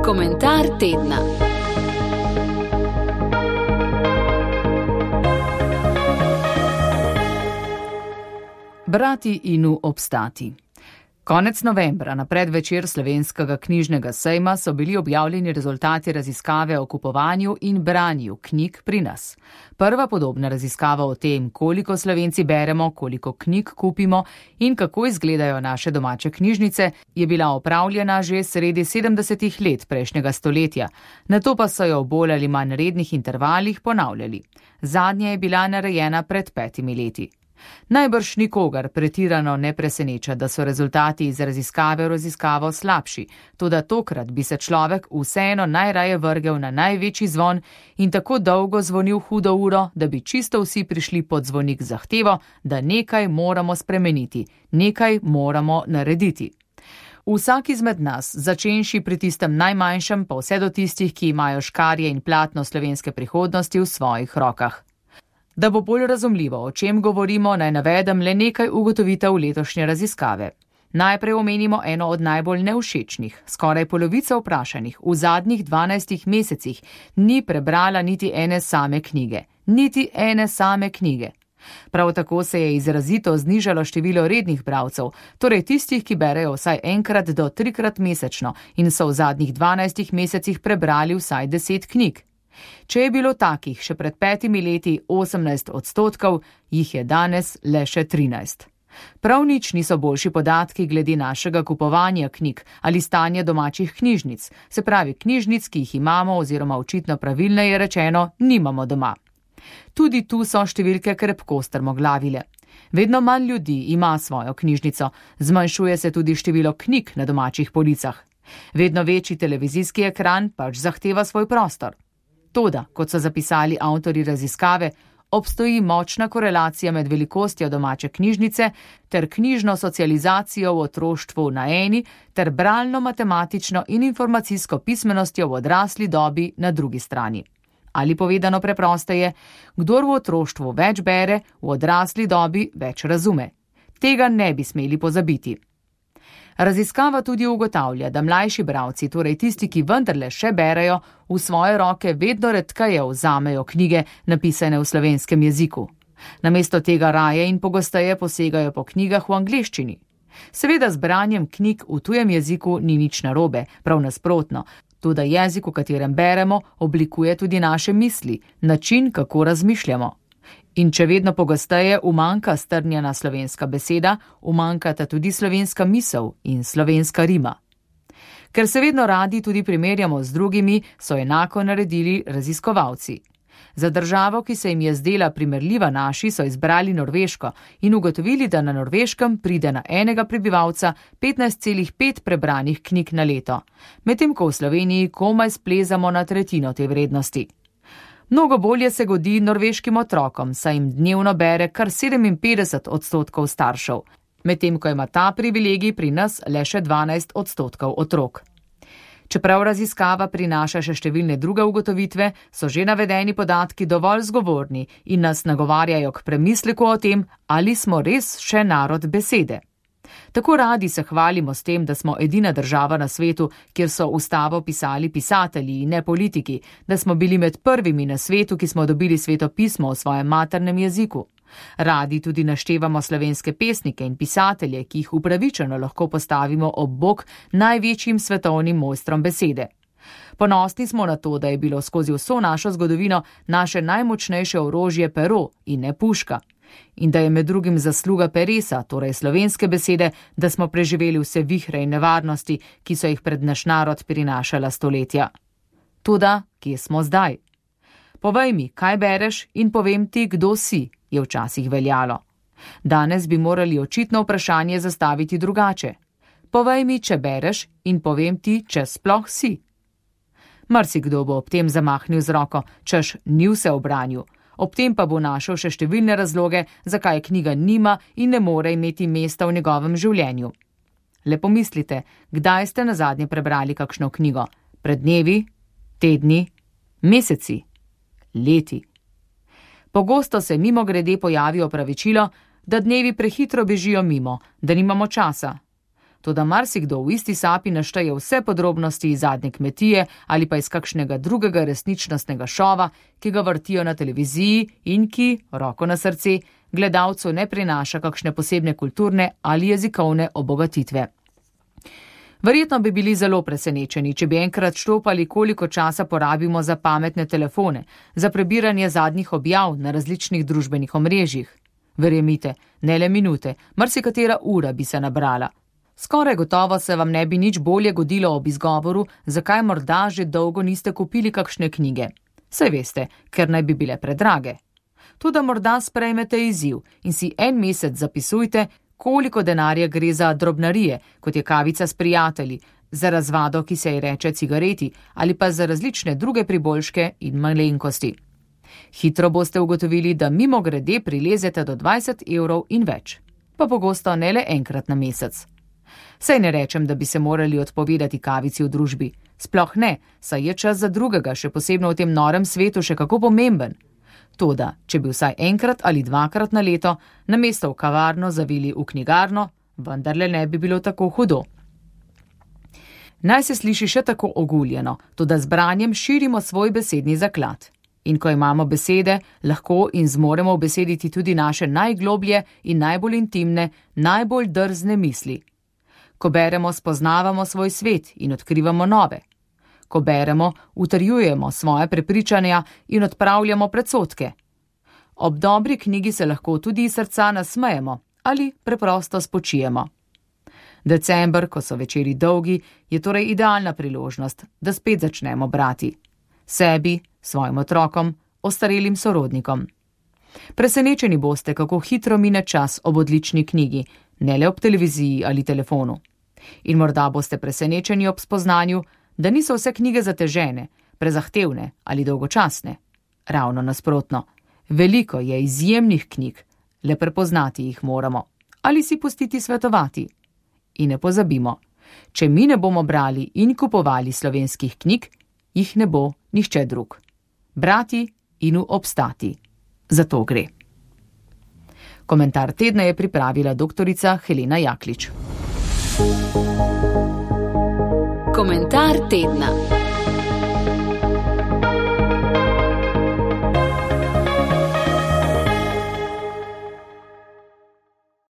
Komentar tedna. Brati in obstati. Konec novembra, na predvečer Slovenskega knjižnega sejma, so bili objavljeni rezultati raziskave o kupovanju in branju knjig pri nas. Prva podobna raziskava o tem, koliko Slovenci beremo, koliko knjig kupimo in kako izgledajo naše domače knjižnice, je bila opravljena že sredi 70. let prejšnjega stoletja. Nato pa so jo v bolj ali manj rednih intervalih ponavljali. Zadnja je bila narejena pred 5 leti. Najbrž nikogar pretirano ne preseneča, da so rezultati iz raziskave v raziskavo slabši, toda tokrat bi se človek vseeno najraje vrgel na največji zvon in tako dolgo zvonil hudo uro, da bi čisto vsi prišli pod zvonik z zahtevo, da nekaj moramo spremeniti, nekaj moramo narediti. Vsak izmed nas, začenši pri tistem najmanjšem, pa vse do tistih, ki imajo škarje in platno slovenske prihodnosti v svojih rokah. Da bo bolj razumljivo, o čem govorimo, naj navedem le nekaj ugotovitev letošnje raziskave. Najprej omenimo eno od najbolj nevšečnih. Skoraj polovica vprašanih v zadnjih 12 mesecih ni prebrala niti ene same knjige. Niti ene same knjige. Prav tako se je izrazito znižalo število rednih bralcev, torej tistih, ki berejo vsaj enkrat do 3-krat mesečno in so v zadnjih 12 mesecih prebrali vsaj 10 knjig. Če je bilo takih še pred 5 leti 18%, jih je danes le še 13%. Prav nič niso boljši podatki glede našega kupovanja knjig ali stanja domačih knjižnic, se pravi knjižnic, ki jih imamo oziroma očitno pravilneje rečeno, nimamo doma. Tudi tu so številke krepko strmoglavile. Vedno manj ljudi ima svojo knjižnico, zmanjšuje se tudi število knjig na domačih policah. Vedno večji televizijski ekran pač zahteva svoj prostor. Toda, kot so zapisali avtorji raziskave, obstoji močna korelacija med velikostjo domače knjižnice ter knjižno socializacijo v otroštvu na eni ter bralno-matematično in informacijsko pismenostjo v odrasli dobi na drugi strani. Ali povedano preprosteje, kdor v otroštvu več bere, v odrasli dobi več razume. Tega ne bi smeli pozabiti. Raziskava tudi ugotavlja, da mlajši bralci, torej tisti, ki vendarle še berejo, v svoje roke vedno redkeje vzamejo knjige, napisane v slovenskem jeziku. Namesto tega raje in pogosteje posegajo po knjigah v angleščini. Seveda z branjem knjig v tujem jeziku ni nič narobe, prav nasprotno. Toda jezik, v katerem beremo, oblikuje tudi naše misli, način, kako razmišljamo. In če vedno pogosteje umanjka strnjena slovenska beseda, umanjkata tudi slovenska misel in slovenska rima. Ker se vedno radi tudi primerjamo z drugimi, so enako naredili raziskovalci. Za državo, ki se jim je zdela primerljiva naši, so izbrali Norveško in ugotovili, da na Norveškem pride na enega prebivalca 15,5 prebranih knjig na leto, medtem ko v Sloveniji komaj splezamo na tretjino te vrednosti. Mnogo bolje se godi norveškim otrokom, saj jim dnevno bere kar 57% staršev, medtem ko ima ta privilegij pri nas le še 12% otrok. Čeprav raziskava prinaša še številne druge ugotovitve, so že navedeni podatki dovolj zgovorni in nas nagovarjajo k premisleku o tem, ali smo res še narod besede. Tako radi se hvalimo s tem, da smo edina država na svetu, kjer so ustavo pisali pisatelji in ne politiki, da smo bili med prvimi na svetu, ki smo dobili svetopismo v svojem maternem jeziku. Radi tudi naštevamo slovenske pesnike in pisatelje, ki jih upravičeno lahko postavimo ob bok največjim svetovnim mojstrom besede. Ponosni smo na to, da je bilo skozi vso našo zgodovino naše najmočnejše orožje pero in ne puška. In da je med drugim zasluga peresa, torej slovenske besede, da smo preživeli vse vihre in nevarnosti, ki so jih pred naš narod prinašala stoletja. Toda, kje smo zdaj? Povej mi, kaj bereš in povem ti, kdo si, je včasih veljalo. Danes bi morali očitno vprašanje zastaviti drugače. Povej mi, če bereš in povem ti, če sploh si. Marsikdo bo ob tem zamahnil z roko, češ ni vse v branju. Ob tem pa bo našel še številne razloge, zakaj knjiga nima in ne more imeti mesta v njegovem življenju. Le pomislite, kdaj ste nazadnje prebrali kakšno knjigo? Pred dnevi, tedni, meseci, leti. Pogosto se mimogrede pojavi opravičilo, da dnevi prehitro bežijo mimo, da nimamo časa. toda marsikdo v isti sapi našteje vse podrobnosti iz Zadnje kmetije ali pa iz kakšnega drugega resničnostnega šova, ki ga vrtijo na televiziji in ki, roko na srce, gledalcu ne prinaša kakšne posebne kulturne ali jezikovne obogatitve. Verjetno bi bili zelo presenečeni, če bi enkrat štopali, koliko časa porabimo za pametne telefone, za prebiranje zadnjih objav na različnih družbenih omrežjih. Verjemite, ne le minute, marsikatera ura bi se nabrala. Skoraj gotovo se vam ne bi nič bolje godilo ob izgovoru, zakaj morda že dolgo niste kupili kakšne knjige. Saj veste, ker naj bi bile predrage. Tudi morda sprejmete izziv in si en mesec zapisujte, koliko denarja gre za drobnarije, kot je kavica s prijatelji, za razvado, ki se ji reče cigareti, ali pa za različne druge priboljške in malenkosti. Hitro boste ugotovili, da mimogrede prilezete do 20 evrov in več, pa pogosto ne le enkrat na mesec. Saj ne rečem, da bi se morali odpovedati kavici v družbi. Sploh ne, saj je čas za drugega, še posebno v tem norem svetu, še kako pomemben. Toda, če bi vsaj enkrat ali dvakrat na leto namesto v kavarno zavili v knjigarno, vendarle ne bi bilo tako hudo. Naj se sliši še tako oguljeno, toda z branjem širimo svoj besedni zaklad. In ko imamo besede, lahko in zmoremo ubesediti tudi naše najgloblje in najbolj intimne, najbolj drzne misli. Ko beremo, spoznavamo svoj svet in odkrivamo nove. Ko beremo, utrjujemo svoje prepričanja in odpravljamo predsodke. Ob dobri knjigi se lahko tudi iz srca nasmejemo ali preprosto spočijemo. December, ko so večeri dolgi, je torej idealna priložnost, da spet začnemo brati. Sebi, svojim otrokom, ostarelim sorodnikom. Presenečeni boste, kako hitro mine čas ob odlični knjigi, ne le ob televiziji ali telefonu. In morda boste presenečeni ob spoznanju, da niso vse knjige zatežene, prezahtevne ali dolgočasne. Ravno nasprotno. Veliko je izjemnih knjig, le prepoznati jih moramo. Ali si pustiti svetovati. In ne pozabimo, če mi ne bomo brali in kupovali slovenskih knjig, jih ne bo nihče drug. Brati in obstati. Za to gre. Komentar tedna je pripravila doktorica Helena Jaklič. Komentar tedna.